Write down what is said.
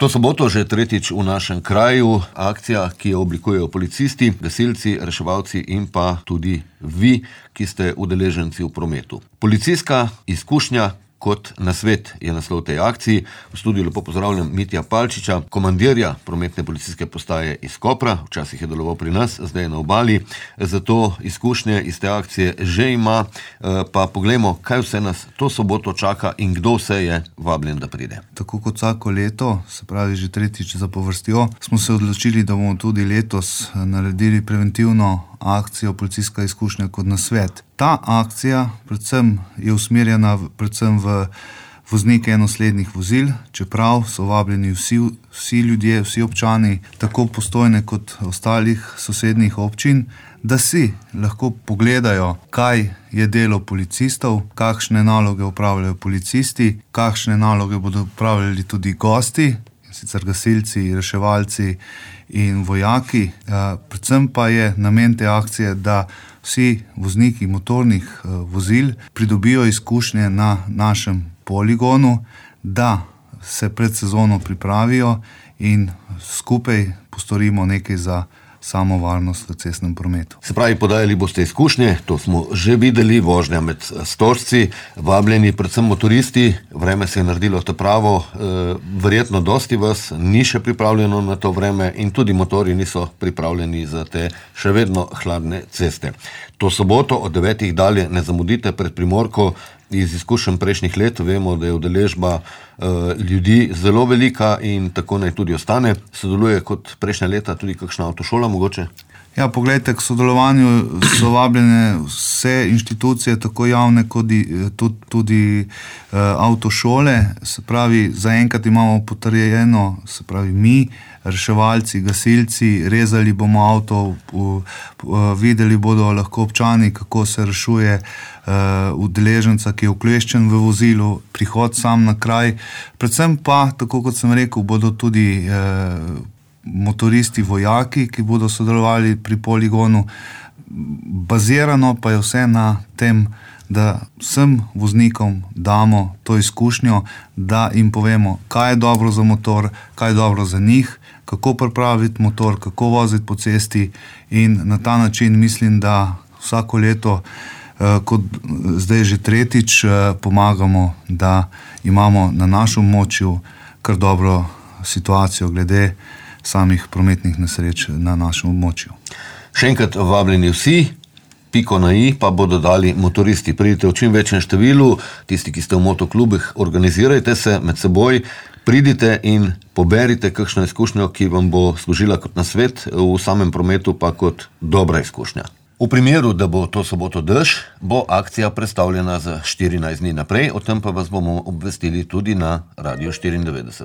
To soboto že tretjič v našem kraju akcija, ki jo oblikujejo policisti, gasilci, reševalci in pa tudi vi, ki ste udeleženci v prometu. Policijska izkušnja kot nasvet je naslov tej akciji. V studiu lepo pozdravljam Mitja Palčiča, komandirja prometne policijske postaje iz Kopra. Včasih je deloval pri nas, zdaj je na obali. Zato izkušnje iz te akcije že ima. Pa poglejmo, kaj vse nas to soboto čaka in kdo vse je vabljen, da pride. Tako kot vsako leto, se pravi že tretjič zapovrstjo, smo se odločili, da bomo tudi letos naredili preventivno akcijo Policijska izkušnja kot nasvet. Ta akcija predvsem je usmerjena predvsem v voznike enoslednih vozil, čeprav so vabljeni vsi ljudje, vsi občani, tako Postojne kot ostalih sosednjih občin, da si lahko pogledajo, kaj je delo policistov, kakšne naloge opravljajo policisti, kakšne naloge bodo opravljali tudi gosti, sicer gasilci, reševalci in vojaki. Predvsem pa je namen te akcije, da vsi vozniki motornih vozil pridobijo izkušnje na našem poligonu, da se pred sezono pripravijo in skupaj postorimo nekaj za samo varnost v cestnem prometu. Se pravi, podajali boste izkušnje, to smo že videli, vožnja med stožci, vabljeni predvsem motoristi, vreme se je naredilo ta pravo, verjetno dosti vas ni še pripravljeno na to vreme in tudi motori niso pripravljeni za te še vedno hladne ceste. To soboto od 9 dalje ne zamudite pred Primorko. Iz izkušenj prejšnjih let vemo, da je udeležba ljudi zelo velika in tako naj tudi ostane. Sodeluje kot prejšnja leta tudi kakšna avtošola mogoče? Ja, poglejte, k sodelovanju so vabljene vse inštitucije, tako javne kot tudi avtošole. Se pravi, zaenkrat imamo potrjeno, se pravi mi, reševalci, gasilci, rezali bomo avto, videli bodo lahko občani, kako se rešuje udeleženca, ki je ukleščen v vozilu, prihod sam na kraj. Predvsem pa, tako kot sem rekel, bodo tudi motoristi, vojaki, ki bodo sodelovali pri poligonu. Bazirano pa je vse na tem, da vsem voznikom damo to izkušnjo, da jim povemo, kaj je dobro za motor, kaj je dobro za njih, kako pripraviti motor, kako voziti po cesti in na ta način mislim, da vsako leto, kot zdaj že tretjič, pomagamo, da imamo na našem območju kar dobro situacijo glede samih prometnih nesreč na našem območju. Še enkrat vabljeni vsi, piko na i pa bodo dali motoristi. Pridite v čim večjem številu, tisti, ki ste v motoklubih, organizirajte se med seboj, pridite in poberite kakšno izkušnjo, ki vam bo služila kot nasvet v samem prometu, pa kot dobra izkušnja. V primeru, da bo to soboto dež, bo akcija predstavljena za 14 dni naprej, o tem pa vas bomo obvestili tudi na Radio 94.